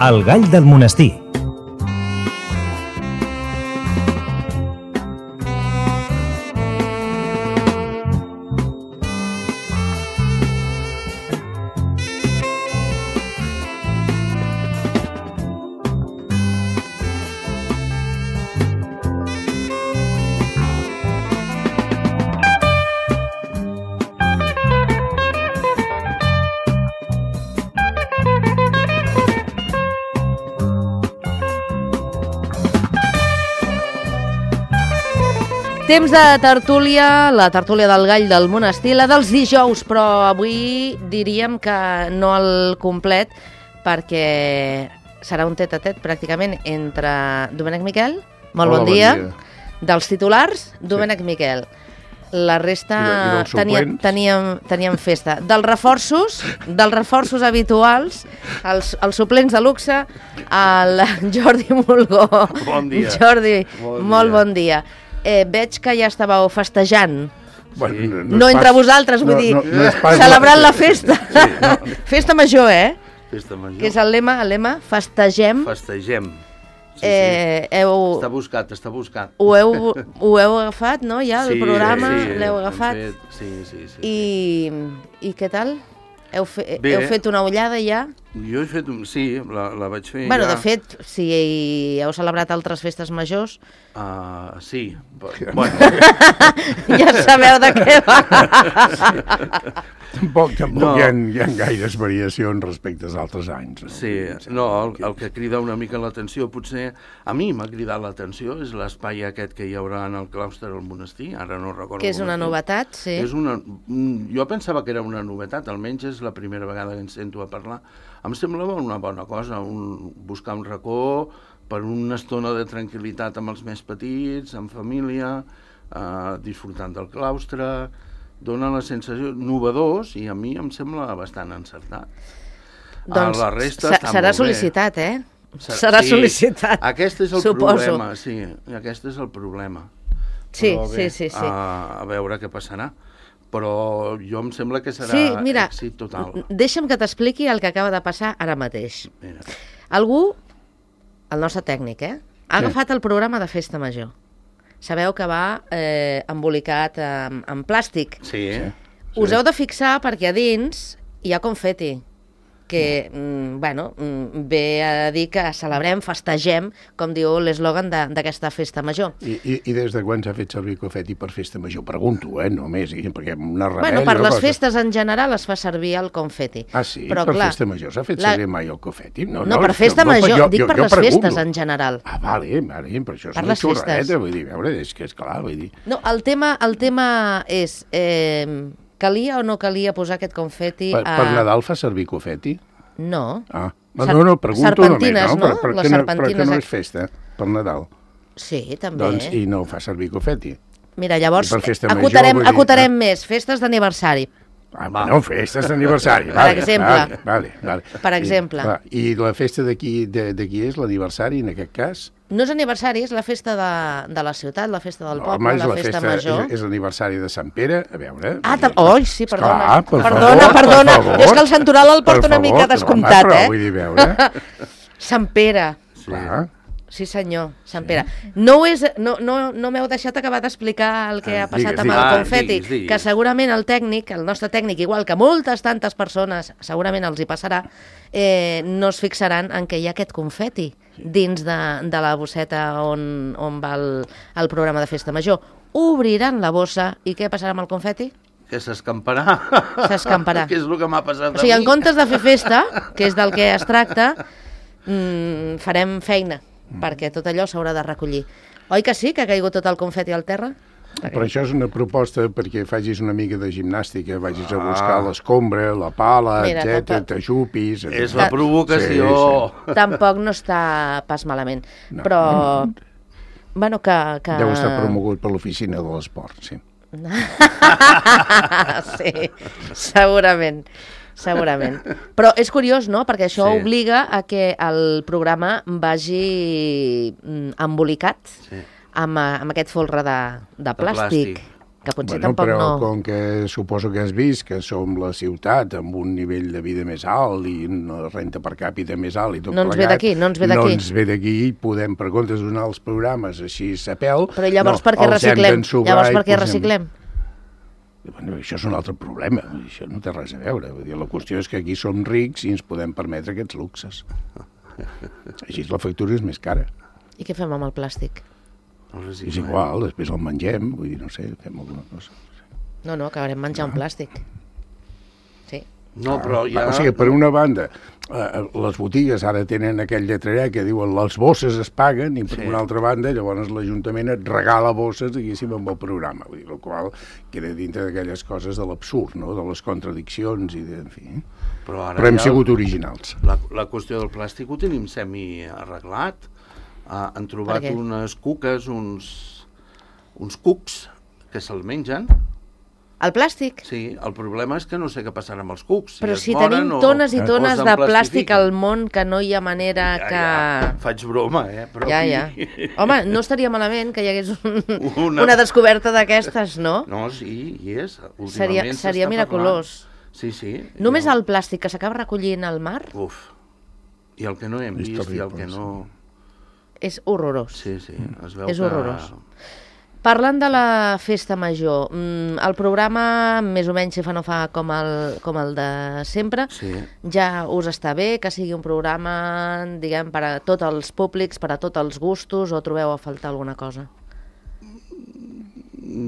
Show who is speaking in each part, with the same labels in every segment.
Speaker 1: El gall del monestir.
Speaker 2: Temps de tertúlia, la tertúlia del gall del monestir, la dels dijous, però avui diríem que no al complet, perquè serà un tet-a-tet pràcticament entre Domènec Miquel, molt bon dia, dels titulars, Domènec Miquel. La resta teníem festa. Dels reforços habituals, els suplents de luxe, el Jordi Mulgó.
Speaker 3: Bon dia.
Speaker 2: Jordi, molt bon dia. Veig que ja estàveu festejant.
Speaker 3: Bueno,
Speaker 2: no entre vosaltres, vull dir, celebrant la festa. Sí, Festa major,
Speaker 3: Festa major.
Speaker 2: Que és el lema, festegem.
Speaker 3: Festegem. Sí. Està buscat. Ho
Speaker 2: heu agafat, no? Ja, el programa, l'heu agafat.
Speaker 3: Sí.
Speaker 2: I què tal? Heu fet una ullada ja?
Speaker 3: Jo he fet la vaig fer
Speaker 2: bueno,
Speaker 3: ja.
Speaker 2: De fet, si heu celebrat altres festes majors...
Speaker 3: Sí, bueno.
Speaker 2: Ja sabeu de què va.
Speaker 4: Tampoc hi ha gaires variacions respecte als altres anys. No?
Speaker 3: Sí, el que crida una mica l'atenció, potser a mi m'ha cridat l'atenció, és l'espai aquest que hi haurà en el claustre del monestir, ara no recordo.
Speaker 2: Que és una novetat, sí.
Speaker 3: Jo pensava que era una novetat, almenys és la primera vegada que ens sento a parlar. Em semblava una bona cosa, buscar un racó per una estona de tranquil·litat amb els més petits, en família, disfrutant del claustre, dona la sensació novedós i a mi em sembla bastant encertat.
Speaker 2: Doncs
Speaker 3: la resta
Speaker 2: serà sol·licitat, Serà sol·licitat,
Speaker 3: aquest és el problema, aquest és el problema.
Speaker 2: Sí.
Speaker 3: A veure què passarà. Però jo em sembla que serà èxit total.
Speaker 2: Deixa'm que t'expliqui el que acaba de passar ara mateix. Algú, el nostre tècnic, ha agafat el programa de Festa Major. Sabeu que va embolicat en plàstic.
Speaker 3: Sí.
Speaker 2: Us heu de fixar perquè a dins hi ha confeti, que, ve a dir que celebrem, festegem, com diu l'eslògan d'aquesta festa major.
Speaker 4: I des de quan s'ha fet servir confeti per festa major? Pregunto, només, perquè una rebel...
Speaker 2: Per les festes en general es fa servir el confeti.
Speaker 4: Ah, sí? Però, per festa major s'ha fet servir mai el confeti?
Speaker 2: No, per festa major, dic per les festes en general.
Speaker 4: Ah, vale, per això és una xorreta, vull dir, veure, és que és clar, vull dir...
Speaker 2: No, el tema és... Calia o no calia posar aquest confeti
Speaker 4: Per Nadal fa servir confeti?
Speaker 2: No.
Speaker 4: No, pregunto
Speaker 2: serpentines,
Speaker 4: només,
Speaker 2: no?
Speaker 4: Les serpentines... Per què no és festa, per Nadal?
Speaker 2: Sí, també.
Speaker 4: Doncs, i no fa servir confeti?
Speaker 2: Mira, llavors, acotarem més, festes d'aniversari.
Speaker 4: Festes d'aniversari.
Speaker 2: Per exemple.
Speaker 4: Vale.
Speaker 2: Per exemple.
Speaker 4: I la festa d'aquí és l'aniversari, en aquest cas?
Speaker 2: No és aniversari, és la festa de la ciutat, la festa del poble, la festa major.
Speaker 4: És l'aniversari de Sant Pere, a veure...
Speaker 2: Sí, perdona. Perdona. Jo és que el santoral el porto una mica descomptat,
Speaker 4: però vull dir, veure...
Speaker 2: Sant Pere. Sí, senyor, Sant Pere. No m'heu deixat acabar d'explicar el que ha passat amb el confeti, que segurament el tècnic, el nostre tècnic, igual que moltes tantes persones, segurament els hi passarà, no es fixaran en què hi ha aquest confeti dins de la bosseta on va el programa de Festa Major. Obriran la bossa i què passarà amb el confeti?
Speaker 3: Que s'escamparà. Que és el que m'ha passat a mi.
Speaker 2: O sigui, en comptes de fer festa, que és del que es tracta, farem feina, perquè tot allò s'haurà de recollir. Oi que sí, que ha caigut tot el confeti al terra?
Speaker 4: Però això és una proposta perquè facis una mica de gimnàstica, vagis a buscar l'escombra, la pala, etc, t'ajupis...
Speaker 3: És la provocació.
Speaker 4: Sí.
Speaker 2: Tampoc no està pas malament, però... Bueno, que...
Speaker 4: Deu estar promogut per l'oficina de l'esport, sí.
Speaker 2: Sí, segurament. Però és curiós, no?, perquè això obliga a que el programa vagi embolicat amb aquest folre de plàstic. que potser tampoc
Speaker 4: però
Speaker 2: no...
Speaker 4: com que suposo que has vist que som la ciutat amb un nivell de vida més alt i una renta per càpita més alt i tot
Speaker 2: No ens ve d'aquí, no ens ve d'aquí.
Speaker 4: No ens ve d'aquí i podem, per comptes de donar els programes així a pèl...
Speaker 2: Però llavors per què reciclem? Llavors per què reciclem?
Speaker 4: Bueno, això és un altre problema, això no té res a veure. Vull dir, la qüestió és que aquí som rics i ens podem permetre aquests luxes. Així la factura és més cara.
Speaker 2: I què fem amb el plàstic?
Speaker 4: És igual, després el mengem, vull dir, no sé, fem alguna cosa.
Speaker 2: No, acabarem menjant plàstic. Sí.
Speaker 3: No, però ja...
Speaker 4: O sigui, per una banda, les botigues ara tenen aquell lletreret que diuen les bosses es paguen i per una altra banda, llavors l'Ajuntament et regala bosses, diguéssim, amb el programa. Vull dir, el qual queda dintre d'aquelles coses de l'absurd, no?, de les contradiccions i en fi. Però hem sigut originals.
Speaker 3: La qüestió del plàstic ho tenim semi-arreglat. Han trobat unes cuques, uns cucs que se'l mengen.
Speaker 2: El plàstic?
Speaker 3: Sí, el problema és que no sé què passarà amb els cucs.
Speaker 2: Però si tenim tones i tones de plàstic al món que no hi ha manera que...
Speaker 3: Ja, faig broma, però...
Speaker 2: Ja. Home, no estaria malament que hi hagués una descoberta d'aquestes, no?
Speaker 3: No, sí, hi és.
Speaker 2: Seria miraculós.
Speaker 3: Sí.
Speaker 2: Només el plàstic que s'acaba recollint al mar?
Speaker 3: Uf. I el que no hem vist i el que no...
Speaker 2: És horrorós.
Speaker 3: Sí, es veu
Speaker 2: que... És horrorós. Parlant de la festa major, el programa més o menys si fa no fa com el de sempre, ja us està bé que sigui un programa, diguem, per a tots els públics, per a tots els gustos, o trobeu a faltar alguna cosa?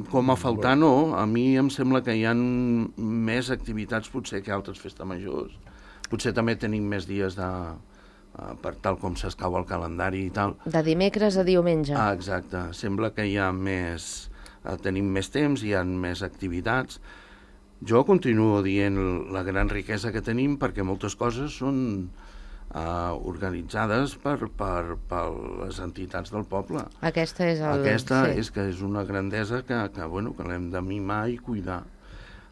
Speaker 3: Com a faltar no, a mi em sembla que hi ha més activitats potser que altres festes majors. Potser també tenim més dies per tal com s'escau el calendari i tal.
Speaker 2: De dimecres a diumenge.
Speaker 3: Exacte. Sembla que hi ha més... tenim més temps, hi ha més activitats. Jo continuo dient la gran riquesa que tenim perquè moltes coses són organitzades per les entitats del poble.
Speaker 2: Aquesta
Speaker 3: és que és una grandesa que l'hem de mimar i cuidar.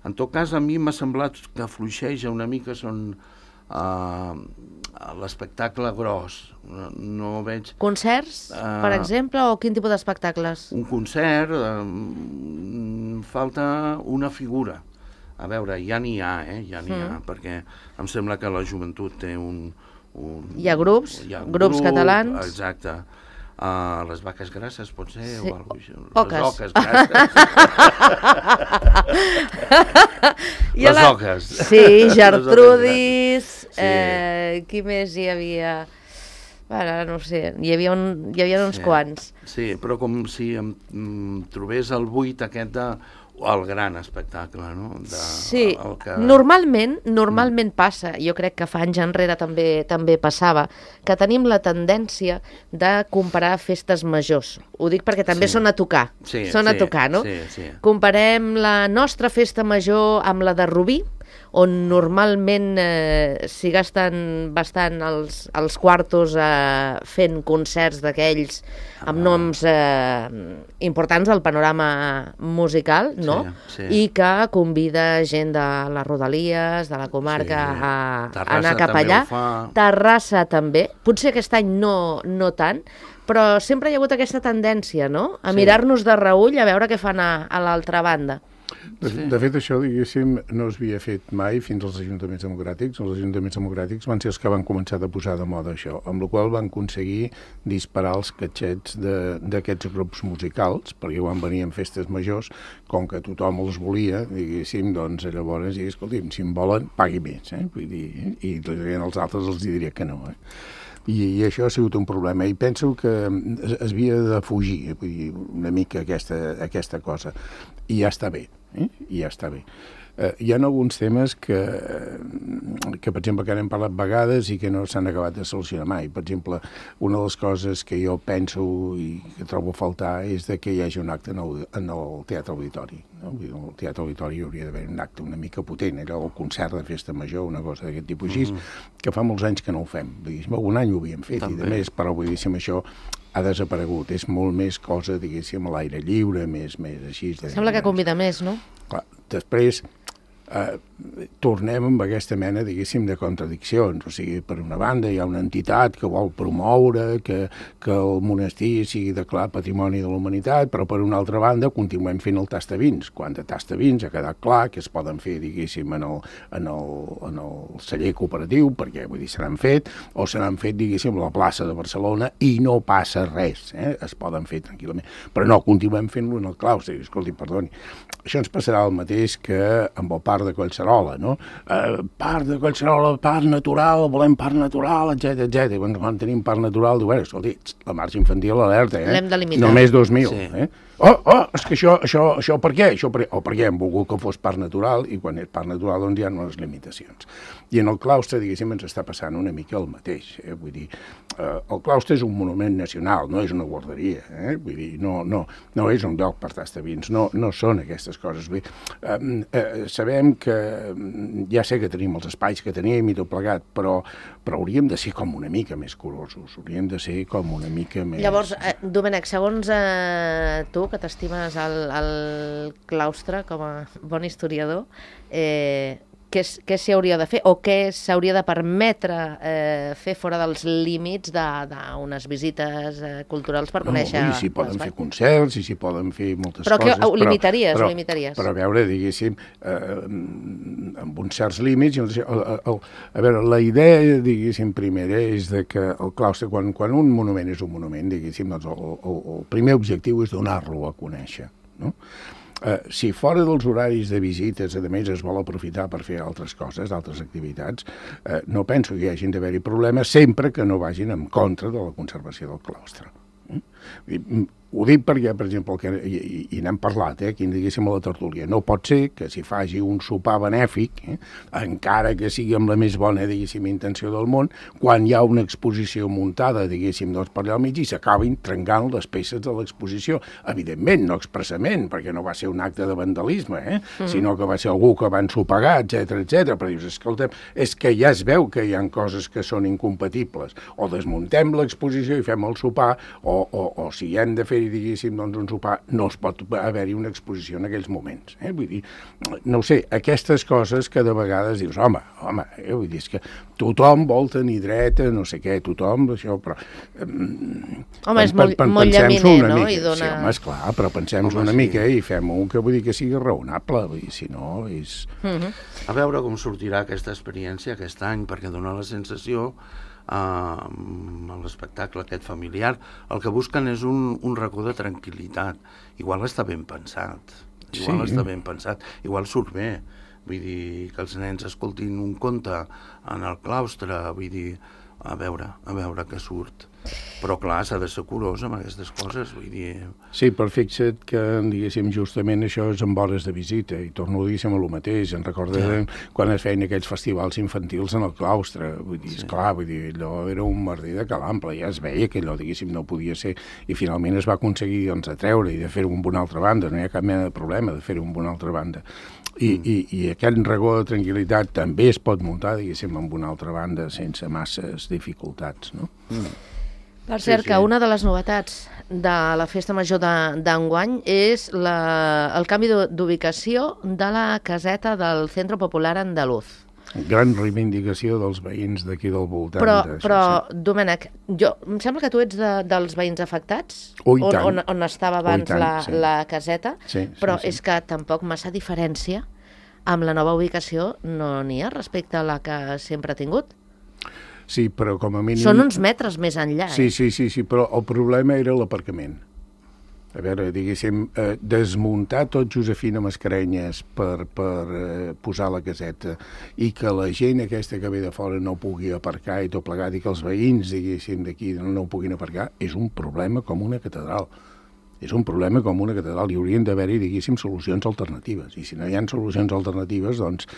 Speaker 3: En tot cas, a mi m'ha semblat que fluixeja una mica l'espectacle gros. No veig...
Speaker 2: Concerts, per exemple, o quin tipus d'espectacles?
Speaker 3: Un concert, falta una figura. A veure, ja n'hi ha, perquè em sembla que la joventut té un...
Speaker 2: Hi ha grups catalans.
Speaker 3: Exacte. Les vaques grasses, pot ser?
Speaker 2: Sí.
Speaker 3: O alguna cosa.
Speaker 2: Oques.
Speaker 3: Les oques grasses. Les oques.
Speaker 2: Sí, Gertrudis. Qui més hi havia? Ara no sé, hi havia uns quants.
Speaker 3: Sí, però com si em trobés el buit aquest el gran espectacle, no?
Speaker 2: Sí, normalment passa, jo crec que fa anys enrere també passava, que tenim la tendència de comparar festes majors. Ho dic perquè també són a tocar, a tocar, no?
Speaker 3: Sí.
Speaker 2: Comparem la nostra festa major amb la de Rubí, on normalment s'hi gasten bastant els quartos fent concerts d'aquells amb noms importants del panorama musical, no?
Speaker 3: Sí.
Speaker 2: I que convida gent de les Rodalies, de la comarca, a anar cap allà. Terrassa també. Potser aquest any no tant, però sempre hi ha hagut aquesta tendència, no? A mirar-nos de reüll a veure què fan a l'altra banda.
Speaker 4: De fet, això, diguéssim, no s'havia fet mai fins als ajuntaments democràtics. Els ajuntaments democràtics van ser els que van començar a posar de moda això, amb la qual van aconseguir disparar els catxets d'aquests grups musicals, perquè quan venien festes majors, com que tothom els volia, diguéssim, doncs llavors, escolti'm, si en volen, pagui més, Vull dir, i als altres els diria que no, I això ha sigut un problema, i penso que es havia de fugir, vull dir, una mica aquesta cosa, i ja està bé, i ja està bé. Hi ha alguns temes que, per exemple, que n'hem parlat vegades i que no s'han acabat de solucionar mai. Per exemple, una de les coses que jo penso i que trobo a faltar és que hi hagi un acte en el Teatre Auditori. No? Al Teatre Auditori hi hauria d'haver un acte una mica potent, allò el concert de festa major, una cosa d'aquest tipus així, que fa molts anys que no ho fem. Un any ho havíem fet, i de més, però vull dir, això ha desaparegut. És molt més cosa, diguéssim, a l'aire lliure, més així.
Speaker 2: Sembla que convida més, no?
Speaker 4: Clar, després, tornem amb aquesta mena, diguéssim, de contradiccions. O sigui, per una banda hi ha una entitat que vol promoure que el monestir sigui declarat Patrimoni de la Humanitat, però per una altra banda continuem fent el tastavins, quan de tastavins ha quedat clar que es poden fer, diguéssim, en el celler cooperatiu, perquè, vull dir, se n'han fet, o se n'han fet, diguéssim, a la plaça de Barcelona, i no passa res, es poden fer tranquil·lament. Però no, continuem fent-lo en el claustre. Escolti, perdoni, això ens passarà el mateix que amb el parc de Collserola, no? Parc de Collserola, parc natural, volem parc natural, etc. Quan tenim parc natural, diu, escolti, la marxa infantil alerta,
Speaker 2: l'hem de limitar.
Speaker 4: Només 2.000,
Speaker 3: Sí.
Speaker 4: És que això per què? Perquè hem volgut que fos parc natural, i quan és parc natural doncs hi ha unes limitacions. I en el claustre, diguéssim, ens està passant una mica el mateix. Vull dir, el claustre és un monument nacional, no és una guarderia. Vull dir, no és un lloc per tastavins, no són aquestes coses. Vull dir, sabem que ja sé que tenim els espais que tenim i tot plegat, però hauríem de ser com una mica més curosos, hauríem de ser com una mica més...
Speaker 2: Llavors, Domènec, segons tu, que t'estimes al claustre com a bon historiador, què s'hi hauria de fer o què s'hauria de permetre fer fora dels límits d'unes visites culturals per conèixer...
Speaker 4: I s'hi poden fer concerts, i s'hi poden fer moltes
Speaker 2: coses.
Speaker 4: Però
Speaker 2: ho limitaries?
Speaker 4: Però a veure, diguéssim, amb uns certs límits... A veure, la idea, diguéssim, primera és que el claustre, quan un monument és un monument, diguéssim, doncs el primer objectiu és donar-lo a conèixer, no? Si fora dels horaris de visites, a més, es vol aprofitar per fer altres coses, altres activitats, no penso que hi hagin d'haver-hi problemes sempre que no vagin en contra de la conservació del claustre. Ho dic perquè, per exemple, i n'hem parlat, aquí diguéssim a la tertúlia, no pot ser que s'hi faci un sopar benèfic, encara que sigui amb la més bona, diguéssim, intenció del món, quan hi ha una exposició muntada, diguéssim, doncs per allà al mig i s'acabin trencant les peces de l'exposició. Evidentment, no expressament, perquè no va ser un acte de vandalisme, sinó que va ser algú que va ensopegar, etc. Però dius, escolta'm, és que ja es veu que hi ha coses que són incompatibles. O desmuntem l'exposició i fem el sopar, o si hem de fer diguéssim, doncs un sopar, no es pot haver-hi una exposició en aquells moments. Vull dir, no ho sé, aquestes coses que de vegades dius, home, vull dir, és que tothom vol tenir dret a no sé què, tothom, això, però...
Speaker 2: Home, és molt llaminer, no?
Speaker 4: Sí, home, esclar, però pensem-nos una mica i fem-ho que vull dir que sigui raonable, vull dir, si no és...
Speaker 3: A veure com sortirà aquesta experiència aquest any, perquè dona la sensació l'espectacle aquest familiar, el que busquen és un racó de tranquil·litat. Igual està ben pensat, igual surt bé, vull dir, que els nens escoltin un conte en el claustre, vull dir, a veure què surt. Però clar, s'ha de ser curós amb aquestes coses, vull dir...
Speaker 4: Sí, però fixa't que, diguéssim, justament això és amb hores de visita, i torno a dir el mateix, en recordem quan es feien aquells festivals infantils en el claustre, vull dir, esclar, vull dir, allò era un merder de calample, ja es veia que allò, diguéssim, no podia ser, i finalment es va aconseguir, doncs, atreure i de fer-ho amb una altra banda, no hi ha cap mena de problema de fer-ho amb una altra banda. I aquest regó de tranquil·litat també es pot muntar, diguéssim, amb una altra banda sense masses dificultats, no?
Speaker 2: Per cert, que una de les novetats de la Festa Major d'enguany és el canvi d'ubicació de la caseta del Centro Popular Andaluz.
Speaker 4: Gran reivindicació dels veïns d'aquí del voltant.
Speaker 2: Però Domènec, em sembla que tu ets dels veïns afectats, on estava abans la caseta, però és que tampoc massa diferència amb la nova ubicació no n'hi ha respecte a la que sempre ha tingut.
Speaker 4: Sí, però com a mínim...
Speaker 2: Són uns metres més enllà.
Speaker 4: Sí, però el problema era l'aparcament. A veure, diguéssim, desmuntar tot Josefina Mascarenyes per posar la caseta i que la gent aquesta que ve de fora no pugui aparcar i tot plegat i que els veïns, diguéssim, d'aquí no puguin aparcar, és un problema com una catedral. És un problema com una catedral i haurien d'haver-hi, diguéssim, solucions alternatives. I si no hi ha solucions alternatives, doncs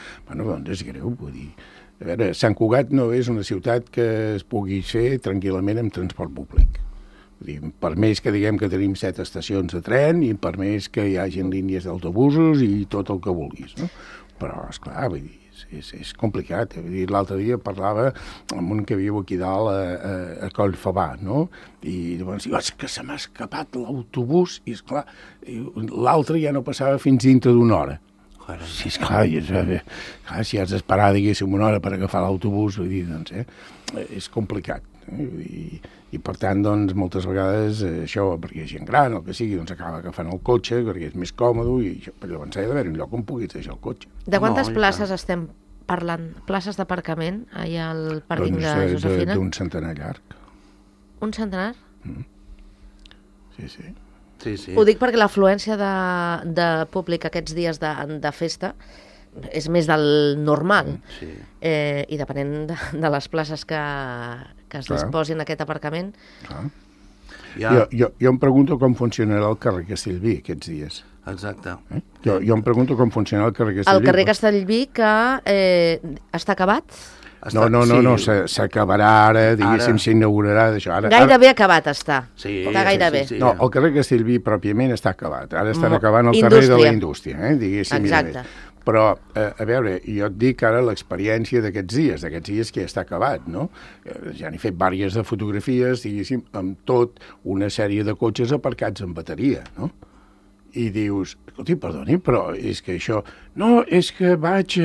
Speaker 4: és greu, vull dir... A veure, Sant Cugat no és una ciutat que es pugui fer tranquil·lament amb transport públic. Vull dir, per més que diguem que tenim 7 estacions de tren i per més que hi hagin línies d'autobusos i tot el que vulguis, no? Però, esclar, vull dir, és complicat. L'altre dia parlava amb un que viu aquí dalt a Collfabà, no? I llavors diu, és que se m'ha escapat l'autobús i, esclar, l'altre ja no passava fins dintre d'una hora. Sí, esclar, si has d'esperar, diguéssim, una hora per agafar l'autobús, vull dir, doncs, és complicat. I per tant, doncs, moltes vegades això, perquè hi ha gent gran, el que sigui, doncs acaba agafant el cotxe, perquè és més còmode, i llavors ha d'haver un lloc on puguis deixar el cotxe.
Speaker 2: De quantes places estem parlant? Places d'aparcament allà al pàrquing de Josefina?
Speaker 4: D'un centenar llarg.
Speaker 2: Un centenar?
Speaker 4: Sí.
Speaker 2: Ho dic perquè l'afluència de públic aquests dies de festa és més del normal. I depenent de les places que es disposin a aquest aparcament.
Speaker 4: Jo em pregunto com funcionarà el carrer Castellví aquests dies.
Speaker 3: Exacte.
Speaker 4: Jo em pregunto com funcionarà el carrer Castellví.
Speaker 2: El carrer Castellví que està acabat?
Speaker 4: No, s'acabarà ara, diguéssim, s'inaugurarà d'això.
Speaker 2: Gairebé acabat està.
Speaker 3: Està
Speaker 2: gairebé.
Speaker 4: No, el carrer Castellví pròpiament està acabat. Ara estan acabant el carrer de la Indústria, diguéssim.
Speaker 2: Exacte.
Speaker 4: Però, a veure, jo et dic ara l'experiència d'aquests dies que ja està acabat, no? Ja n'he fet diverses de fotografies, diguéssim, amb tot una sèrie de cotxes aparcats en bateria, no? I dius, escolti, perdoni, però és que això... No, és que vaig...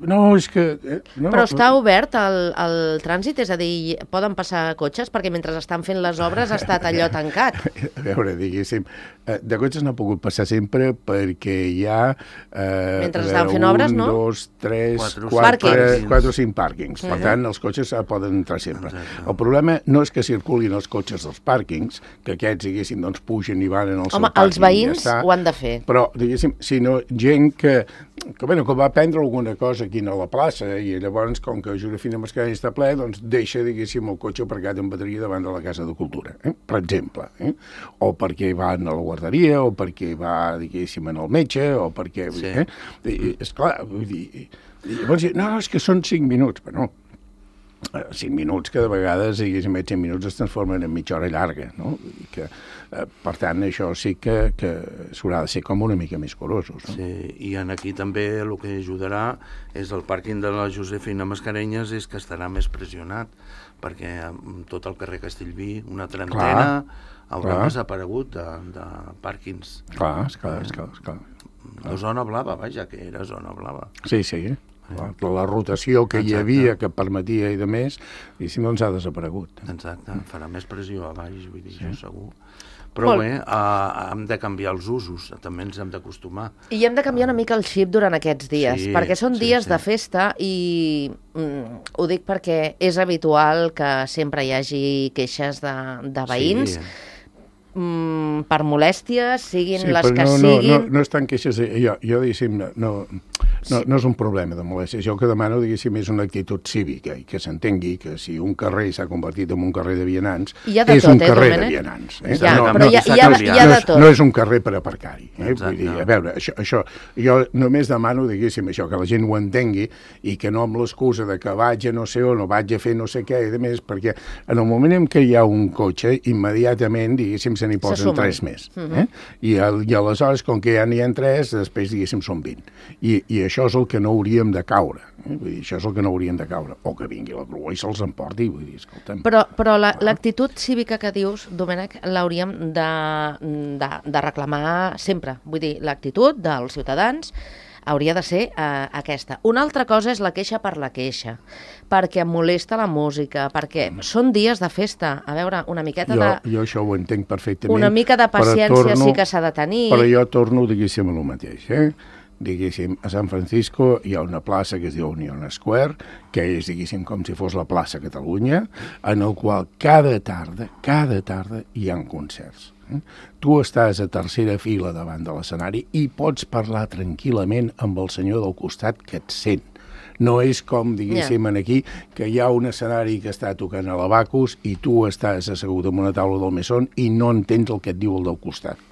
Speaker 4: No, és que... No.
Speaker 2: Però està obert el trànsit? És a dir, poden passar cotxes? Perquè mentre estan fent les obres ha estat allò tancat.
Speaker 4: A veure, diguéssim, de cotxes n'ha pogut passar sempre perquè hi ha...
Speaker 2: Mentre estan fent obres, no?
Speaker 4: 1, 2, 3, 4 o 5 pàrquings. Per tant, els cotxes poden entrar sempre. El problema no és que circulin els cotxes dels pàrquings, que aquests, diguéssim, doncs pugen i van en el seu pàrquing.
Speaker 2: Home, els veïns ho han de fer.
Speaker 4: Però, diguéssim, sinó gent que va prendre alguna cosa aquí a la plaça i llavors, com que Josefina Mascarell està ple, doncs deixa, diguéssim, el cotxe aparcat en bateria davant de la Casa de Cultura, per exemple. O perquè van a la guarderia, o perquè va, diguéssim, en el metge, o perquè... Esclar, vull dir... Llavors, no, és que són 5 minuts, però no. 5 minuts que de vegades, diguéssim, 5 minuts es transformen en mitja hora llarga, no? Que, per tant, això sí que s'haurà de ser com una mica més curosos, no?
Speaker 3: Sí, i aquí també el que ajudarà és el pàrquing de la Josefina Mascarenyes és que estarà més pressionat, perquè tot el carrer Castellví, una trentena, haurà desaparegut de pàrquings.
Speaker 4: Clar.
Speaker 3: La zona blava, vaja, que era zona blava.
Speaker 4: Sí. La rotació que hi havia, que permetia i de més, doncs ha desaparegut.
Speaker 3: Exacte, farà més pressió a baix, vull dir, això segur. Però bé, hem de canviar els usos, també ens hem d'acostumar.
Speaker 2: I hem de canviar una mica el xip durant aquests dies, perquè són dies de festa i ho dic perquè és habitual que sempre hi hagi queixes de veïns, per molèsties, siguin les que siguin.
Speaker 4: No estan queixes, jo diguéssim, no és un problema de molèsties. Jo el que demano, diguéssim, és una actitud cívica i que s'entengui que si un carrer s'ha convertit en un carrer de vianants, és un carrer de vianants.
Speaker 2: Però hi ha de tot.
Speaker 4: No és un carrer per aparcar-hi. Vull dir, a veure, això, jo només demano, diguéssim, això, que la gent ho entengui i que no amb l'excusa de que vaig a no sé on o vaig a fer no sé què i de més, perquè en el moment en què hi ha un cotxe, immediatament, diguéssim, se n'hi posen 3 més. I aleshores, com que ja n'hi ha 3, després, diguéssim, són 20. I això és el que no hauríem de caure. Vull dir, això és el que no hauríem de caure. O que vingui la grua i se'ls emporti, vull dir, escolta'm.
Speaker 2: Però l'actitud cívica que dius, Domènec, l'hauríem de reclamar sempre. Vull dir, l'actitud dels ciutadans hauria de ser aquesta. Una altra cosa és la queixa per la queixa, perquè em molesta la música, perquè són dies de festa. A veure, una miqueta de...
Speaker 4: Jo això ho entenc perfectament.
Speaker 2: Una mica de paciència sí que s'ha de tenir.
Speaker 4: Però jo torno, diguéssim, a lo mateix, Diguéssim, a San Francisco hi ha una plaça que es diu Union Square, que és, diguéssim, com si fos la plaça Catalunya, en el qual cada tarda hi ha concerts. Tu estàs a tercera fila davant de l'escenari i pots parlar tranquil·lament amb el senyor del costat que et sent. No és com, diguéssim, aquí, que hi ha un escenari que està tocant a l'Abacus i tu estàs assegut en una taula del mesón i no entens el que et diu el del costat.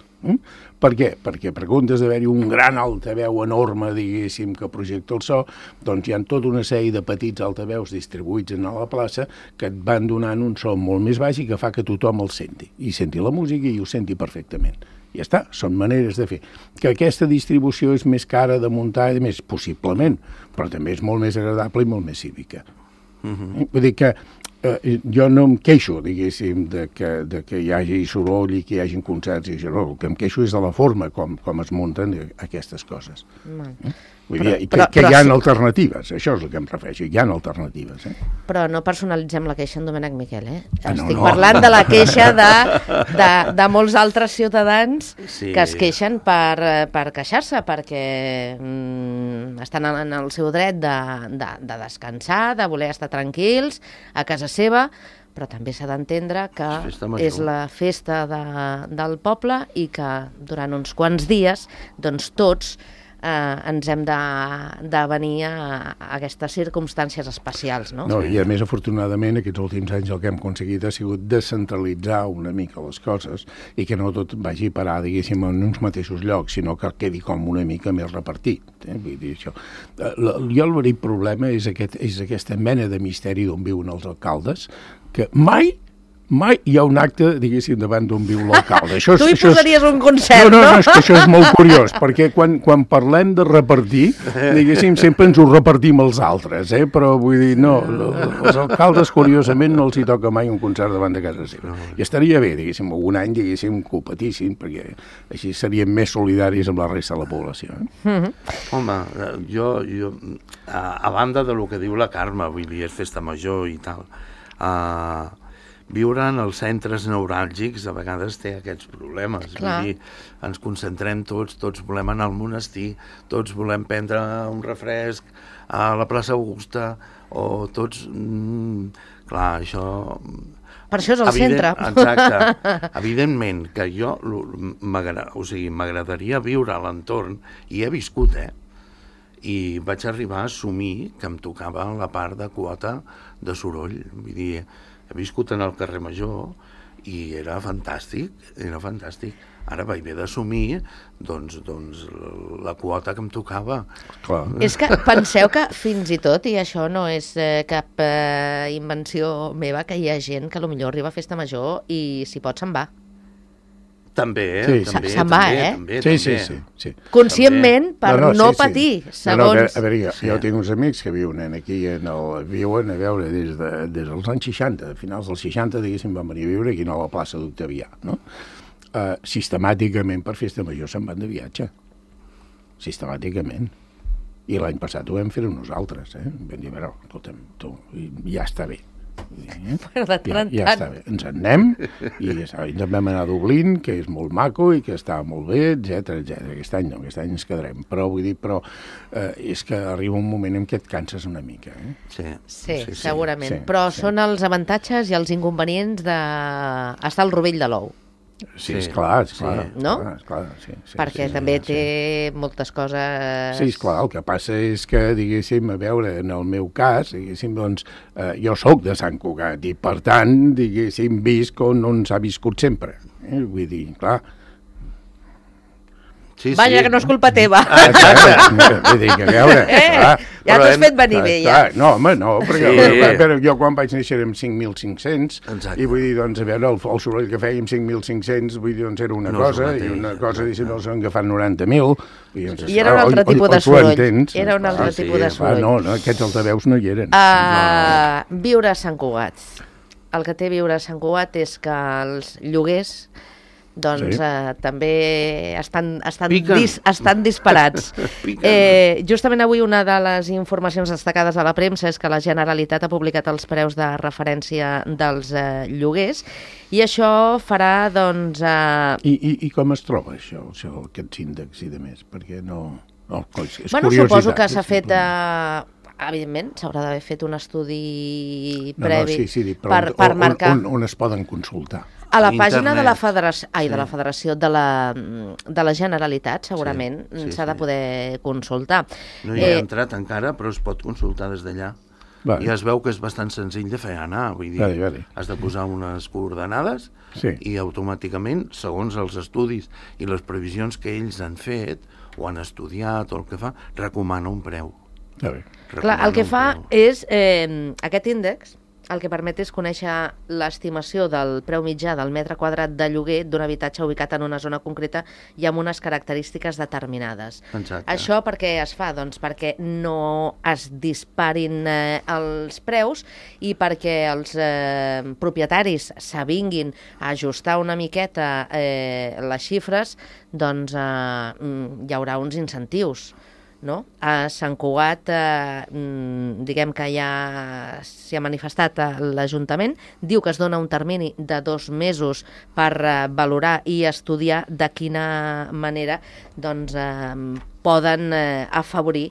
Speaker 4: Per què? Perquè per comptes d'haver-hi un gran altaveu enorme, diguéssim, que projecta el so, doncs hi ha tota una sèrie de petits altaveus distribuïts a la plaça que et van donant un so molt més baix i que fa que tothom el senti. I senti la música i ho senti perfectament. Ja està, són maneres de fer. Que aquesta distribució és més cara de muntar i més, possiblement, però també és molt més agradable i molt més cívica. Vull dir que Jo no em queixo, diguéssim, de que hi hagi soroll i que hi hagi concerts i això. No, el que em queixo és de la forma com es munten aquestes coses. Vull dir, que hi ha alternatives, això és el que em refereixo, hi ha alternatives.
Speaker 2: Però no personalitzem la queixa en Domènec Miquel, Estic parlant de la queixa de molts altres ciutadans que es queixen per queixar-se, perquè estan en el seu dret de descansar, de voler estar tranquils a casa seva, però també s'ha d'entendre que és la festa del poble i que durant uns quants dies, doncs tots ens hem de venir a aquestes circumstàncies especials, no?
Speaker 4: No, i a més, afortunadament, aquests últims anys el que hem aconseguit ha sigut descentralitzar una mica les coses i que no tot vagi a parar, diguéssim, en uns mateixos llocs, sinó que quedi com una mica més repartit. Vull dir, això. Jo el veritable problema és aquesta mena de misteri d'on viuen els alcaldes, que mai hi ha un acte, diguéssim, davant d'on viu l'alcalde.
Speaker 2: Tu hi posaries un concert, no?
Speaker 4: No, és que això és molt curiós, perquè quan parlem de repartir, diguéssim, sempre ens ho repartim els altres, però vull dir, no, els alcaldes, curiosament, no els hi toca mai un concert davant de casa seva. I estaria bé, diguéssim, algun any, diguéssim, que ho patissin, perquè així seríem més solidaris amb la resta de la població.
Speaker 3: Home, jo, a banda de lo que diu la Carme, vull dir, és festa major i tal, viure en els centres neuràlgics a vegades té aquests problemes. Vull dir, ens concentrem tots volem anar al monestir, tots volem prendre un refresc a la plaça Augusta, o tots... clar, això...
Speaker 2: Per això és el centre.
Speaker 3: Exacte. Evidentment que jo m'agradaria viure a l'entorn, i he viscut, i vaig arribar a assumir que em tocava la part de quota de soroll. Vull dir, he viscut en el carrer Major i era fantàstic. Ara vaig haver d'assumir doncs, la quota que em tocava.
Speaker 4: Clar.
Speaker 2: És que penseu que fins i tot, i això no és cap invenció meva, que hi ha gent que potser arriba a festa major i si pot se'n va.
Speaker 3: També, també.
Speaker 2: Se'n va,
Speaker 3: també.
Speaker 4: Sí.
Speaker 2: Conscientment, per no patir, segons...
Speaker 4: A veure, jo tinc uns amics que viuen aquí, viuen, a veure, des dels anys 60, a finals dels 60, diguéssim, van venir a viure aquí a la plaça d'Octavià, no? Sistemàticament per festa major se'n van de viatge. Sistemàticament. I l'any passat ho vam fer nosaltres, Vam dir, però, escolta'm, ja està bé. Ja està bé, ens en anem i ens vam anar a Dublín, que és molt maco i que està molt bé, etc. Aquest any no, aquest any ens quedarem, però vull dir, és que arriba un moment en què et canses una mica.
Speaker 2: Sí, segurament, però són els avantatges i els inconvenients d'estar al rovell de l'ou.
Speaker 4: Sí, esclar.
Speaker 2: No?
Speaker 4: Esclar,
Speaker 2: perquè també té moltes coses...
Speaker 4: Sí, esclar, el que passa és que, diguéssim, a veure, en el meu cas, diguéssim, doncs, jo sóc de Sant Cugat i, per tant, diguéssim, visc on s'ha viscut sempre. Vull dir, clar...
Speaker 2: Vaja, que no és culpa teva.
Speaker 4: Vull dir, que a veure...
Speaker 2: Ja t'has fet venir bé, ja.
Speaker 4: No, home, no, perquè jo quan vaig néixer érem 5.500 i vull dir, doncs, a veure, el soroll que fèiem 5.500, vull dir, doncs era una cosa, i una cosa, diguéssim, els han agafat 90.000.
Speaker 2: I era un altre tipus de soroll. Era un altre tipus de soroll.
Speaker 4: No, aquests altaveus no hi eren.
Speaker 2: Viure a Sant Cugat. El que té viure a Sant Cugat és que els lloguers doncs també estan disparats. Justament avui una de les informacions destacades a la premsa és que la Generalitat ha publicat els preus de referència dels lloguers i això farà, doncs...
Speaker 4: I com es troba això, aquests índexs i de més? Perquè no... és
Speaker 2: curiositat. Suposo que s'ha fet... Evidentment, s'haurà d'haver fet un estudi previ per marcar...
Speaker 4: On es poden consultar?
Speaker 2: A la pàgina de la Federació de la Generalitat, segurament, s'ha de poder consultar.
Speaker 3: No hi he entrat encara, però es pot consultar des d'allà. I es veu que és bastant senzill de fer anar, vull dir, has de posar unes coordenades i automàticament, segons els estudis i les previsions que ells han fet, o han estudiat, o el que fa, recomana un preu.
Speaker 2: Clar, el que fa és, aquest índex el que permet és conèixer l'estimació del preu mitjà del metre quadrat de lloguer d'un habitatge ubicat en una zona concreta i amb unes característiques determinades.
Speaker 3: Exacte.
Speaker 2: Això per què es fa? Doncs perquè no es disparin els preus i perquè els propietaris s'avinguin a ajustar una miqueta les xifres, doncs hi haurà uns incentius. No? A Sant Cugat, diguem que ja s'hi ha manifestat l'Ajuntament, diu que es dona un termini de 2 mesos per valorar i estudiar de quina manera doncs, poden afavorir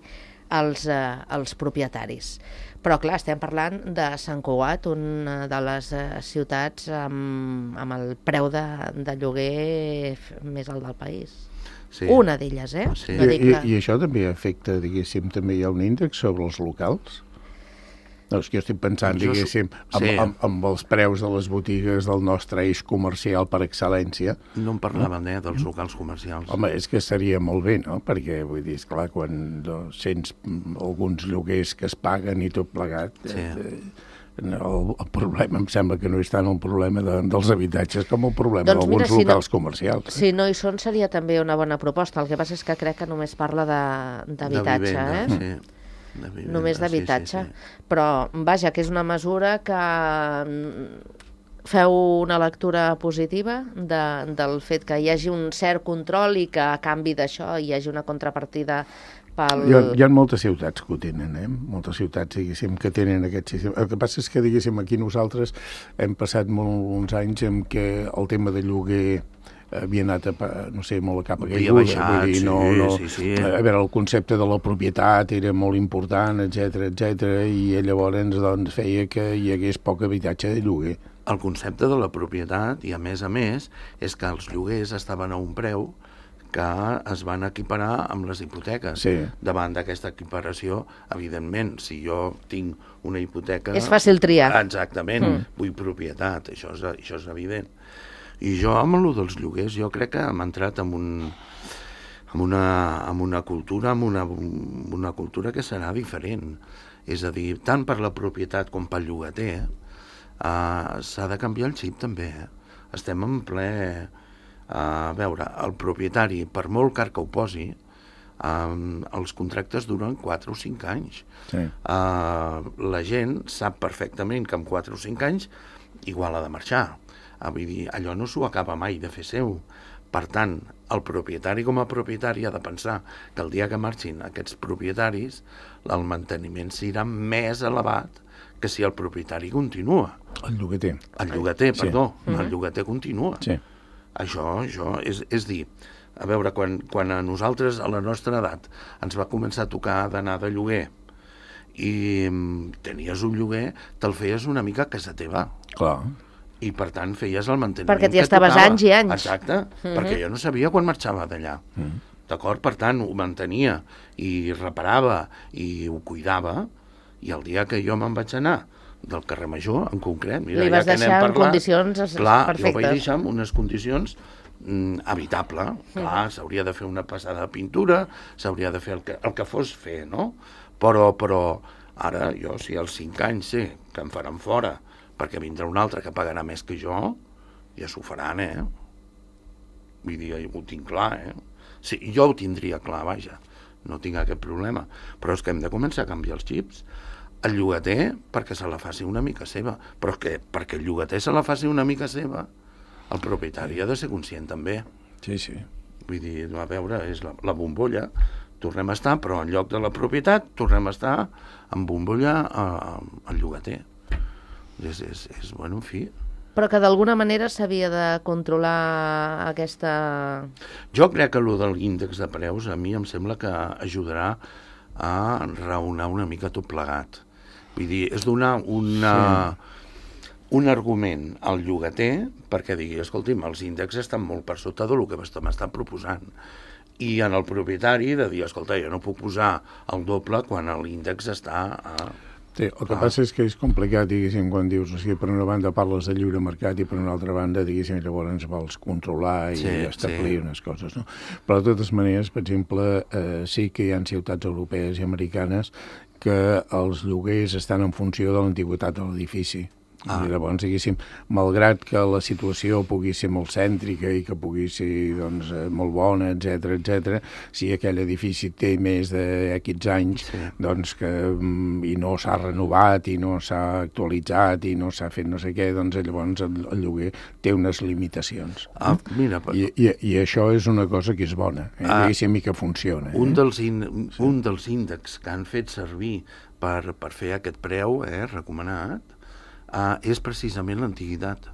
Speaker 2: els propietaris. Però, clar, estem parlant de Sant Cugat, una de les ciutats amb el preu de lloguer més alt del país. Sí. Una d'elles,
Speaker 3: Sí.
Speaker 2: No dic que...
Speaker 4: I això també afecta, diguéssim, també hi ha un índex sobre els locals? No, és que jo estic pensant, diguéssim, amb els preus de les botigues del nostre eix comercial per excel·lència.
Speaker 3: No en parlàvem, dels locals comercials.
Speaker 4: Home, és que seria molt bé, no? Perquè, vull dir, esclar, quan sents alguns lloguers que es paguen i tot plegat... Sí. El problema em sembla que no és tant el problema dels habitatges com el problema d'alguns locals comercials.
Speaker 2: Si no hi són, seria també una bona proposta. El que passa és que crec que només parla d'habitatge.
Speaker 3: Sí.
Speaker 2: Només d'habitatge. Sí. Però, vaja, que és una mesura que feu una lectura positiva del fet que hi hagi un cert control i que a canvi d'això hi hagi una contrapartida pel...
Speaker 4: Hi ha moltes ciutats que ho tenen, moltes ciutats, diguéssim, que tenen aquest sistema. El que passa és que, diguéssim, aquí nosaltres hem passat molts anys en què el tema de lloguer havia anat, molt a cap a caiguda.
Speaker 3: Baixat,
Speaker 4: vull dir,
Speaker 3: sí.
Speaker 4: A veure, el concepte de la propietat era molt important, etc, i llavors doncs, feia que hi hagués poc habitatge de lloguer.
Speaker 3: El concepte de la propietat, i a més, és que els lloguers estaven a un preu que es van equiparar amb les hipoteques.
Speaker 4: Sí.
Speaker 3: Davant d'aquesta equiparació, evidentment, si jo tinc una hipoteca...
Speaker 2: És fàcil triar.
Speaker 3: Exactament, vull propietat, això és evident. I jo, amb el dels lloguers, jo crec que hem entrat en una cultura, amb una cultura que serà diferent. És a dir, tant per la propietat com pel llogater, s'ha de canviar el xip també. Estem en ple... A veure, el propietari, per molt car que ho posi, els contractes duren 4 o 5 anys.
Speaker 4: Sí.
Speaker 3: La gent sap perfectament que en 4 o 5 anys igual ha de marxar. Vull dir, allò no s'ho acaba mai de fer seu. Per tant, el propietari com a propietari ha de pensar que el dia que marxin aquests propietaris, el manteniment serà més elevat que si el propietari continua.
Speaker 4: El llogater.
Speaker 3: El llogater, perdó. El llogater continua.
Speaker 4: Sí.
Speaker 3: Això és dir, a veure, quan a nosaltres, a la nostra edat, ens va començar a tocar d'anar de lloguer i tenies un lloguer, te'l feies una mica a casa teva.
Speaker 4: Clar.
Speaker 3: I, per tant, feies el manteniment
Speaker 2: perquè t'hi estaves anys i anys.
Speaker 3: Exacte, perquè jo no sabia quan marxava d'allà. D'acord? Per tant, ho mantenia i reparava i ho cuidava, i el dia que jo me'n vaig anar del carrer Major, en concret... Mira,
Speaker 2: li vas deixar en condicions perfectes.
Speaker 3: Clar, jo ho vaig deixar en unes condicions habitable. Clar, s'hauria de fer una passada de pintura, s'hauria de fer el que fos fer, no? Però ara jo, si als 5 anys sé que em faran fora perquè vindrà un altre que pagarà més que jo, ja s'ho faran, Vull dir, ho tinc clar, Sí, jo ho tindria clar, vaja, no tinc aquest problema. Però és que hem de començar a canviar els xips. El llogater, perquè se la faci una mica seva, però que perquè el llogater se la faci una mica seva, el propietari ha de ser conscient també.
Speaker 4: Sí.
Speaker 3: Vull dir, a veure, és la bombolla, tornem a estar, però en lloc de la propietat, tornem a estar en bombolla al llogater. Bueno, en fi...
Speaker 2: Però que d'alguna manera s'havia de controlar aquesta...
Speaker 3: Jo crec que allò de l'índex de preus a mi em sembla que ajudarà a raonar una mica tot plegat. Vull dir, és donar un argument al llogater perquè digui, escolti'm, els índexs estan molt per sota del que m'estan proposant. I en el propietari de dir, escolta, jo no puc posar el doble quan l'índex està a...
Speaker 4: Sí, el que passa és que és complicat, diguéssim, quan dius, o sigui, per una banda parles de lliure mercat i per una altra banda, diguéssim, llavors ens vols controlar i establir unes coses, no? Però de totes maneres, per exemple, sí que hi ha ciutats europees i americanes que els lloguers estan en funció de l'antiguitat de l'edifici. I llavors, diguéssim, malgrat que la situació pugui ser molt cèntrica i que pugui ser doncs, molt bona, etc, si aquell edifici té més d'X anys doncs, i no s'ha renovat i no s'ha actualitzat i no s'ha fet no sé què, doncs llavors el lloguer té unes limitacions. I això és una cosa que és bona, diguéssim, i que funciona.
Speaker 3: Un dels índexs que han fet servir per fer aquest preu recomanat és precisament l'antiguitat.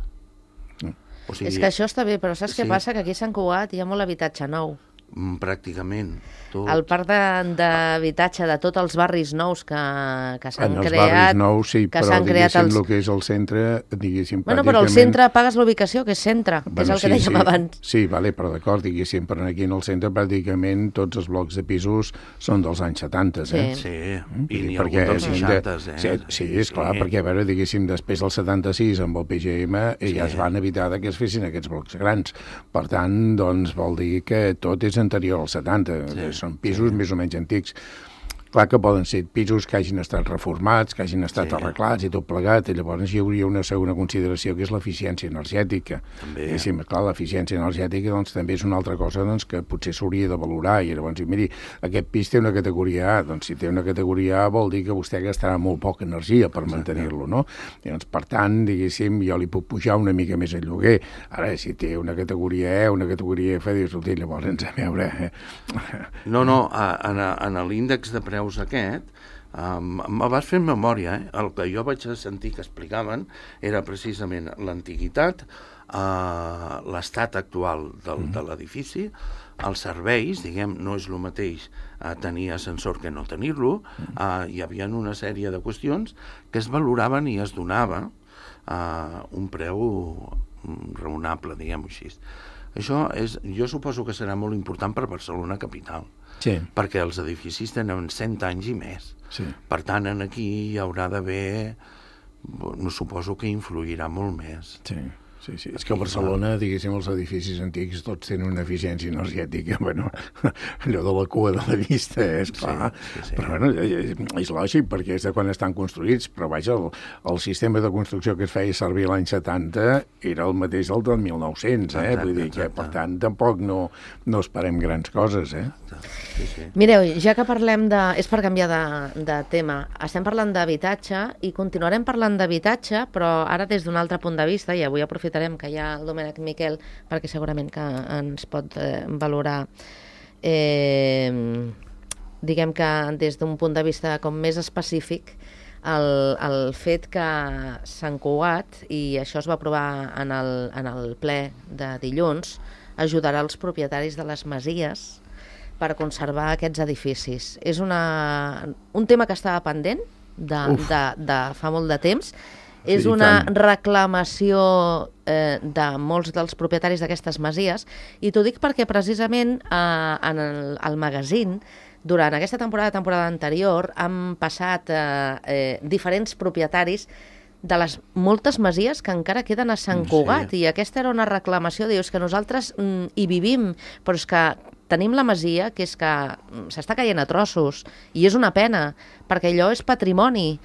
Speaker 2: O sigui, és que això està bé, però saps què passa? Que aquí a Sant Cugat hi ha molt habitatge nou.
Speaker 3: Pràcticament tot.
Speaker 2: El parc d'habitatge de tots els barris nous que s'han creat...
Speaker 4: En els barris nous, sí, però diguéssim el que és el centre, diguéssim...
Speaker 2: Bueno, però el centre pagues l'ubicació, que és centre, que és el que dèiem abans.
Speaker 4: Sí, vale, però d'acord, diguéssim, però aquí en el centre pràcticament tots els blocs de pisos són dels anys 70,
Speaker 3: Sí, i n'hi ha algun dels 60,
Speaker 4: Sí, esclar, perquè, a veure, diguéssim, després del 76 amb el PGM ja es van evitar que es fessin aquests blocs grans. Per tant, doncs, vol dir que tot és anterior als 70, són pisos més o menys antics. Clar que poden ser pisos que hagin estat reformats, que hagin estat arreglats i tot plegat, i llavors hi hauria una segona consideració, que és l'eficiència energètica.
Speaker 3: També.
Speaker 4: I sí, clar, l'eficiència energètica doncs, també és una altra cosa doncs, que potser s'hauria de valorar, i llavors, miri, aquest pis té una categoria A, doncs si té una categoria A vol dir que vostè gastarà molt poca energia per mantenir-lo, no? I, doncs, per tant, diguéssim, jo li puc pujar una mica més el lloguer. Ara, si té una categoria E, una categoria F, dius, llavors, a veure...
Speaker 3: No, en l'índex de preus aquest, me vas fer memòria, el que jo vaig sentir que explicaven era precisament l'antiguitat, l'estat actual de l'edifici, els serveis, diguem, no és el mateix tenir ascensor que no tenir-lo, hi havia una sèrie de qüestions que es valoraven i es donava un preu raonable, diguem-ho així. Això jo suposo que serà molt important per Barcelona capital, perquè els edificis tenen 100 anys i més. Per tant, aquí hi haurà d'haver, suposo que influirà molt més.
Speaker 4: Sí. És que a Barcelona, diguéssim, els edificis antics tots tenen una eficiència energètica, bueno, allò de la cua de la vista, és clar. Però, bueno, és lògic, perquè és de quan estan construïts, però, vaja, el sistema de construcció que es feia servir l'any 70 era el mateix del 1900, vull dir que, per tant, tampoc no esperem grans coses,
Speaker 2: Mireu, ja que parlem de... És per canviar de tema. Estem parlant d'habitatge i continuarem parlant d'habitatge, però ara des d'un altre punt de vista, i avui aprofitarem que hi ha el Domènec Miquel, perquè segurament que ens pot valorar, diguem que des d'un punt de vista com més específic, el fet que Sant Cugat, i això es va aprovar en el ple de dilluns, ajudarà els propietaris de les masies per conservar aquests edificis. És un tema que estava pendent de fa molt de temps. És una reclamació de molts dels propietaris d'aquestes masies, i t'ho dic perquè precisament en el magazín, durant aquesta temporada anterior, han passat diferents propietaris de les moltes masies que encara queden a Sant Cugat, i aquesta era una reclamació, dius que nosaltres hi vivim, però és que tenim la masia, que és que s'està caient a trossos, i és una pena, perquè allò és patrimoni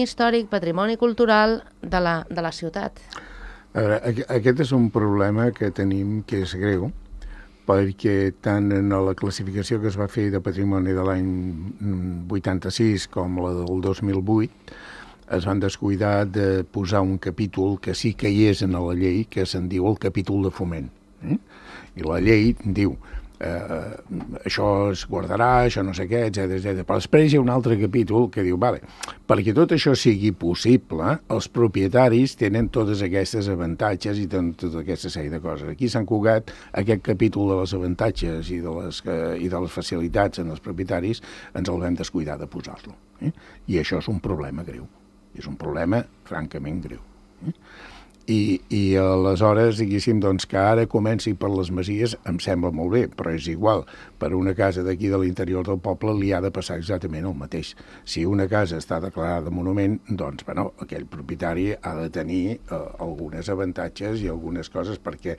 Speaker 2: històric, patrimoni cultural de la ciutat.
Speaker 4: A veure, aquest és un problema que tenim que és greu, perquè tant en la classificació que es va fer de patrimoni de l'any 86 com la del 2008, es van descuidar de posar un capítol que sí que hi és en la llei, que se'n diu el capítol de foment. I la llei diu això es guardarà, això no sé què, etc. Però després hi ha un altre capítol que diu, vale, perquè tot això sigui possible, els propietaris tenen totes aquestes avantatges i tenen tota aquesta sèrie de coses. Aquí a Sant Cugat, aquest capítol de les avantatges i de les facilitats en els propietaris ens el vam descuidar de posar-lo. I això és un problema greu. És un problema francament greu. I aleshores, diguéssim, doncs, que ara comenci per les masies em sembla molt bé, però és igual. Per una casa d'aquí de l'interior del poble li ha de passar exactament el mateix. Si una casa està declarada monument, doncs, bueno, aquell propietari ha de tenir algunes avantatges i algunes coses, perquè,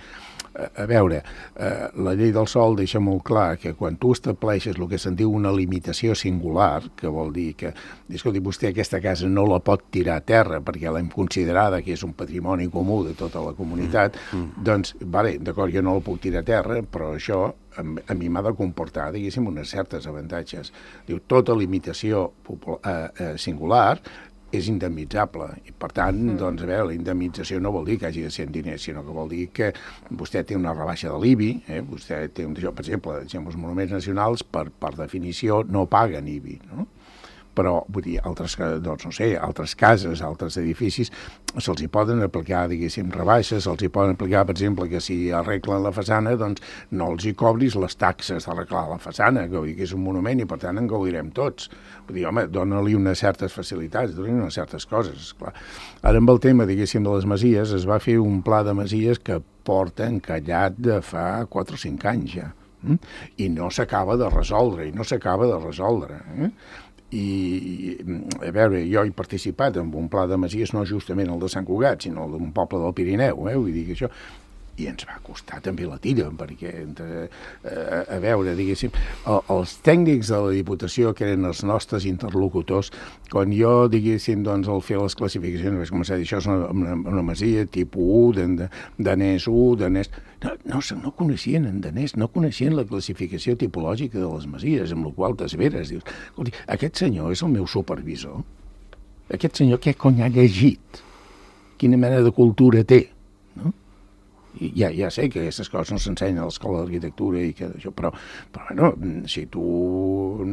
Speaker 4: a veure, la llei del sòl deixa molt clar que quan tu estableixes el que se'n diu una limitació singular, que vol dir que, escolti, vostè aquesta casa no la pot tirar a terra perquè l'hem considerada que és un patrimoni comú de tota la comunitat, doncs, vale, d'acord, jo no la puc tirar a terra, però això a mi m'ha de comportar, diguéssim, unes certes avantatges. Diu, tota limitació singular és indemnitzable. I, per tant, doncs, a veure, la indemnització no vol dir que hagi de ser en diners, sinó que vol dir que vostè té una rebaixa de l'IBI, vostè té per exemple, els monuments nacionals, per definició, no paguen IBI, no? Però, vull dir, altres cases, altres edificis, se'ls hi poden aplicar, diguéssim, rebaixes, se'ls hi poden aplicar, per exemple, que si arreglen la façana, doncs no els hi cobris les taxes d'arreglar la façana, que vull dir que és un monument i, per tant, en gaudirem tots. Vull dir, home, dona-li unes certes facilitats, dona-li unes certes coses, esclar. Ara, amb el tema, diguéssim, de les masies, es va fer un pla de masies que porta encallat de fa 4 o 5 anys ja, i no s'acaba de resoldre, I, a veure, jo he participat en un pla de masies, no justament el de Sant Cugat, sinó el d'un poble del Pirineu, vull dir que això... I ens va costar també la tira, perquè, a veure, diguéssim, els tècnics de la Diputació, que eren els nostres interlocutors, quan jo, diguéssim, doncs, al fer les classificacions, vaig començar a dir, això és una masia tipus 1, danès 1, danès... No coneixien en danès, no coneixien la classificació tipològica de les masies, amb la qual t'esveres. Dius, escolti, aquest senyor és el meu supervisor? Aquest senyor què cony ha llegit? Quina mena de cultura té? No? I ja sé que aquestes coses no s'ensenyen a l'escola d'arquitectura i que això, però bueno, si tu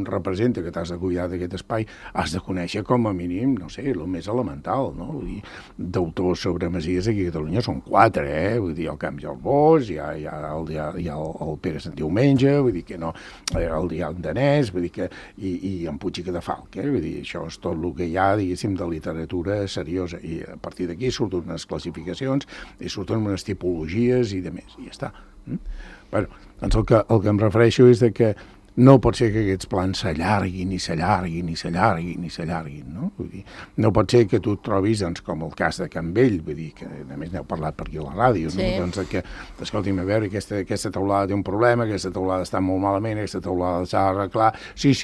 Speaker 4: representa que t'has de cuidar d'aquest espai, has de conèixer com a mínim, no sé, el més elemental, no? Vull dir, d'autors sobre masies aquí a Catalunya són 4, vull dir, el Camp i el Bosch, hi ha el Pere Sant Diumenge, vull dir que no, hi ha el danès, vull dir que, i en Puig i Cadafalc, vull dir, això és tot el que hi ha, diguéssim, de literatura seriosa, i a partir d'aquí surten unes classificacions i surten unes tipologies i de més, i ja està. Bueno, doncs el que em refereixo és de que no pot ser que aquests plans s'allarguin, no? Vull dir, no pot ser que tu et trobis, doncs, com el cas de Can Vell, vull dir, que a més n'heu parlat per aquí a la ràdio,
Speaker 2: sí.
Speaker 4: No? Doncs que, escolti'm, a veure, aquesta teulada té un problema, aquesta teulada està molt malament, aquesta teulada s'ha d'arreglar, sí,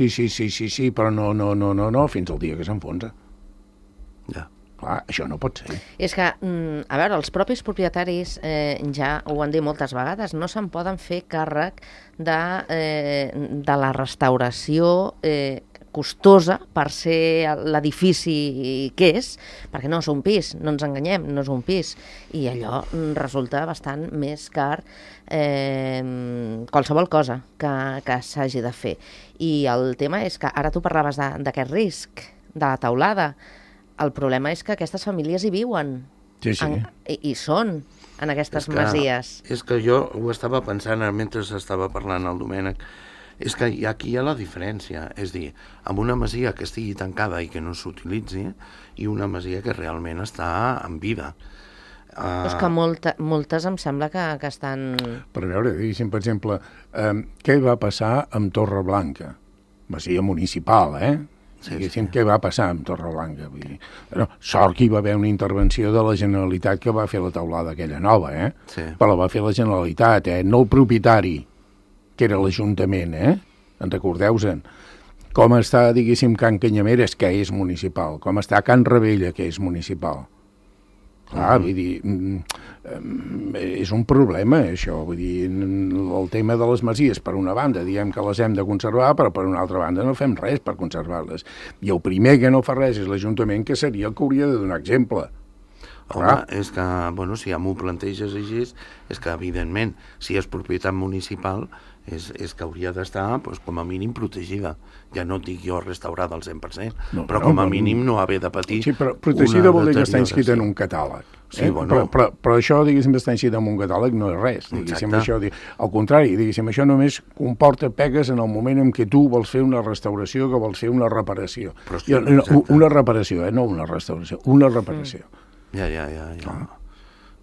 Speaker 4: però no, fins al dia que s'enfonsa.
Speaker 3: Ja.
Speaker 4: Clar, això no pot ser.
Speaker 2: És que, a veure, els propis propietaris, ja ho han dit moltes vegades, no se'n poden fer càrrec de la restauració costosa per ser l'edifici que és, perquè no és un pis, no ens enganyem, no és un pis, i allò resulta bastant més car qualsevol cosa que s'hagi de fer. I el tema és que ara tu parlaves d'aquest risc, de la teulada. El problema és que aquestes famílies hi viuen.
Speaker 4: Sí.
Speaker 2: I són en aquestes masies.
Speaker 3: És que jo ho estava pensant mentre estava parlant el Domènec. És que aquí hi ha la diferència. És dir, amb una masia que estigui tancada i que no s'utilitzi i una masia que realment està en vida.
Speaker 2: És que moltes em sembla que estan...
Speaker 4: Per veure, diguéssim, per exemple, què va passar amb Torreblanca? Masia municipal,
Speaker 3: Sí.
Speaker 4: Què va passar amb Torreblanca? Vull dir, sort que hi va haver una intervenció de la Generalitat que va fer la teulada aquella nova,
Speaker 3: Sí.
Speaker 4: Però la va fer la Generalitat, no el propietari, que era l'Ajuntament, En recordeu-se'n. Com està, diguéssim, Can Canyameres, que és municipal, com està Can Rebella, que és municipal. Clar, vull dir, és un problema, això. Vull dir, el tema de les masies, per una banda, diem que les hem de conservar, però per una altra banda no fem res per conservar-les. I el primer que no fa res és l'Ajuntament, que seria el que hauria de donar exemple.
Speaker 3: Home, és que, bueno, si ja m'ho planteges així, és que, evidentment, si és propietat municipal, és que hauria d'estar, doncs, com a mínim, protegida. Ja no dic jo restaurada al 100%, però com a mínim no haver de patir...
Speaker 4: Sí, però protegida vol dir que està inscrita en un catàleg.
Speaker 3: Sí, bueno.
Speaker 4: Però això, diguéssim, està inscrit en un catàleg no és res. Diguéssim, això, al contrari, diguéssim, això només comporta pegues en el moment en què tu vols fer una restauració, que vols fer una reparació.
Speaker 3: Sí,
Speaker 4: una reparació, no una restauració, una reparació.
Speaker 3: Ja.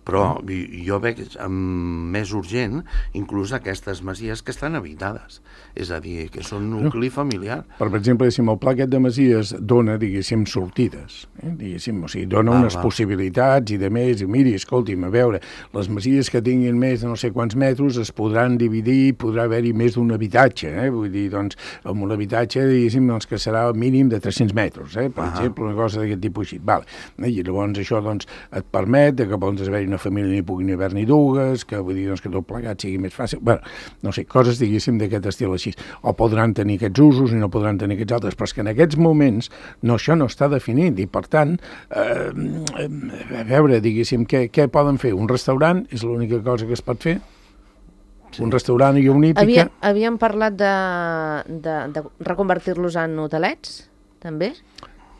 Speaker 3: Però jo veig més urgent inclús aquestes masies que estan habitades, és a dir, que són nucli familiar.
Speaker 4: Per exemple, el pla aquest de masies dona, diguéssim, sortides, diguéssim, o sigui, dona unes possibilitats i de més, i miri, escolti'm, a veure, les masies que tinguin més de no sé quants metres es podran dividir, podrà haver-hi més d'un habitatge, vull dir, doncs, amb un habitatge, diguéssim, doncs, que serà mínim de 300 metres, per exemple, una cosa d'aquest tipus així. Vale. I llavors això, doncs, et permet que pots haver-hi una família ni puguin haver-n'hi dues, que vull dir doncs, que tot plegat sigui més fàcil. Bé, no sé, coses, diguéssim, d'aquest estil així. O podran tenir aquests usos i no podran tenir aquests altres, però és que en aquests moments això no està definit i, per tant, a veure, diguéssim, què poden fer? Un restaurant és l'única cosa que es pot fer? Sí. Un restaurant i una hípica?
Speaker 2: Havíem parlat de reconvertir-los en hotelets, també?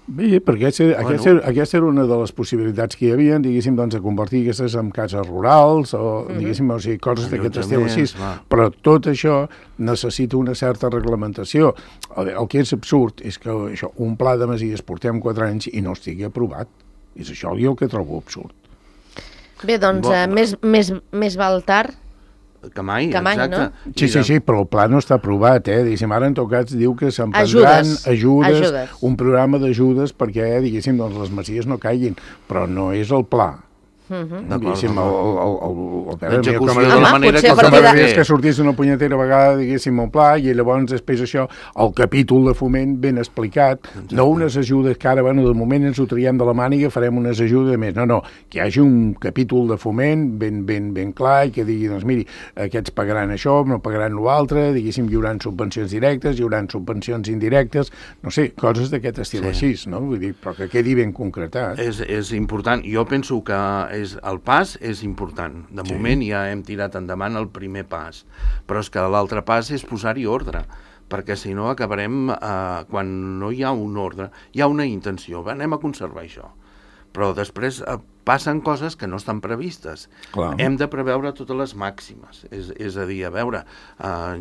Speaker 4: Bé, perquè aquesta era una de les possibilitats que hi havia, diguéssim, doncs, de convertir aquestes en cases rurals o, diguéssim, o sigui, coses d'aquest estil així. Però tot això necessita una certa reglamentació. El que és absurd és que això, un pla de masies portem 4 anys i no estigui aprovat. És això el que trobo absurd.
Speaker 2: Bé, doncs, més val tard
Speaker 3: que mai, exacte.
Speaker 2: No?
Speaker 4: Sí, però el pla no està aprovat, diguéssim, ara en tot cas diu que se'n prendran ajudes, un programa d'ajudes perquè, diguéssim, doncs les masies no caiguin, però no és el pla. Diguéssim,
Speaker 3: l'execució de la manera que
Speaker 4: és que sortís una punyetera vegada, diguéssim, un pla, i llavors després això, el capítol de foment ben explicat, no unes ajudes que ara, bueno, de moment ens ho traiem de la màniga, farem unes ajudes més, no, que hi hagi un capítol de foment ben clar i que digui, doncs miri, aquests pagaran això, no pagaran l'altre, diguéssim, hi haurà subvencions directes, hi haurà subvencions indirectes, no sé, coses d'aquest estil així, no? Vull dir, però que quedi ben concretat.
Speaker 3: És important, jo penso que el pas és important. De moment ja hem tirat endavant el primer pas, però és que l'altre pas és posar-hi ordre, perquè si no acabarem, quan no hi ha un ordre, hi ha una intenció, anem a conservar això, però després passen coses que no estan previstes. Clar. Hem de preveure totes les màximes, és a dir, a veure,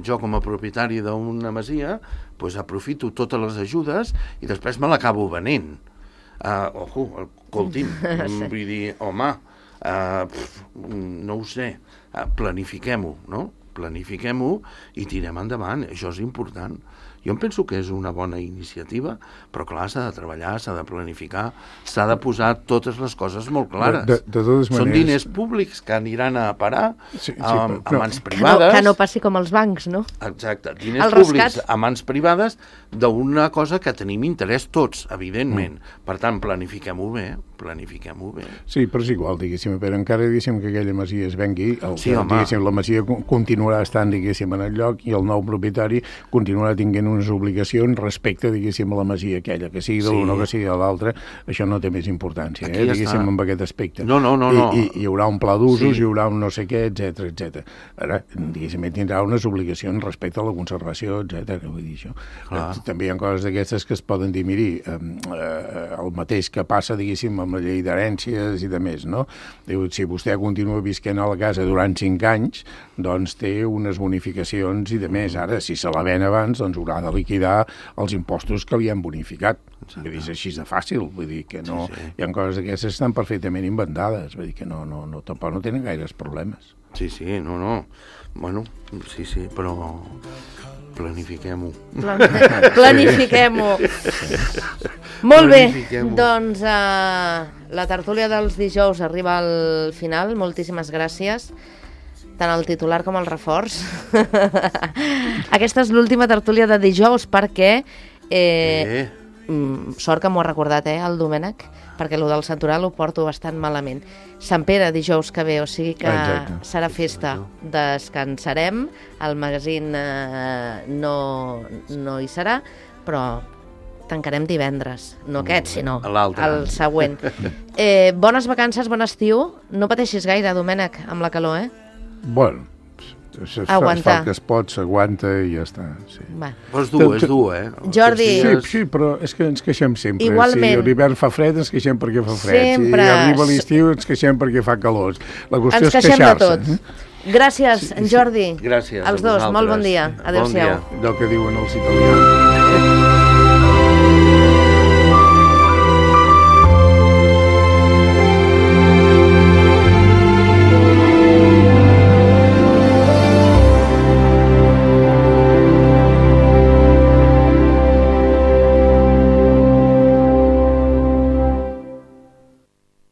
Speaker 3: jo com a propietari d'una masia, doncs aprofito totes les ajudes i després me l'acabo venent. Escolti'm, vull dir, home, no ho sé, planifiquem-ho, no? Planifiquem-ho i tirem endavant, això és important. Jo em penso que és una bona iniciativa, però clar, s'ha de treballar, s'ha de planificar, s'ha de posar totes les coses molt clares.
Speaker 4: De totes maneres...
Speaker 3: Són diners públics que aniran a parar a mans privades.
Speaker 2: Que no passi com els bancs, no?
Speaker 3: Exacte, diners públics a mans privades d'una cosa que tenim interès tots, evidentment. Per tant, planifiquem-ho bé.
Speaker 4: Sí, però és igual, diguéssim, però encara diguéssim que aquella masia es vengui, la masia continuarà estant, diguéssim, en el lloc i el nou propietari continuarà tinguent unes obligacions respecte, diguéssim, a la masia aquella, que sigui de l'una o que sigui de l'altra, això no té més importància, diguéssim, amb aquest aspecte.
Speaker 3: No.
Speaker 4: I hi haurà un pla d'usos, hi haurà un no sé què, etc. Ara, diguéssim, tindrà unes obligacions respecte a la conservació, etc. Vull dir això. També hi ha coses d'aquestes que es poden dir, miri, el mateix que passa, diguéssim, amb la llei d'herències i de més, no? Diu, si vostè continua visquent a la casa durant 5 anys, doncs té unes bonificacions i de més. Ara, si se la ven abans, doncs haurà de liquidar els impostos que li han bonificat. Vull dir, és així de fàcil, vull dir que no... Hi ha coses d'aquestes que estan perfectament inventades, vull dir que tampoc no tenen gaires problemes.
Speaker 3: Sí, no. Bueno, sí, però... Planifiquem-ho.
Speaker 2: Planifiquem-ho. Molt bé, doncs la tertúlia dels dijous arriba al final. Moltíssimes gràcies, tant el titular com el reforç. Aquesta és l'última tertúlia de dijous perquè... sort que m'ho ha recordat, el Domènec, perquè el del Santoral ho porto bastant malament. Sant Pere, dijous que ve, o sigui que serà festa. Descansarem, el magazine no hi serà, però tancarem divendres. No aquest, sinó el següent. Bones vacances, bon estiu. No pateixis gaire, Domènec, amb la calor,
Speaker 4: Bueno, aguantar. Es fa el que es pot, s'aguanta i ja està. Sí.
Speaker 3: Però és dur,
Speaker 2: Jordi...
Speaker 4: Sí, però és que ens queixem sempre.
Speaker 2: Igualment.
Speaker 4: Si l'hivern fa fred, ens queixem perquè fa fred. Sempre. Si arriba l'estiu, ens queixem perquè fa calor. La qüestió és queixar-se.
Speaker 2: Ens queixem de tot. Gràcies, en Jordi.
Speaker 3: Gràcies
Speaker 2: als dos, molt bon dia. Adéu-siau.
Speaker 4: Allò que diuen els italians.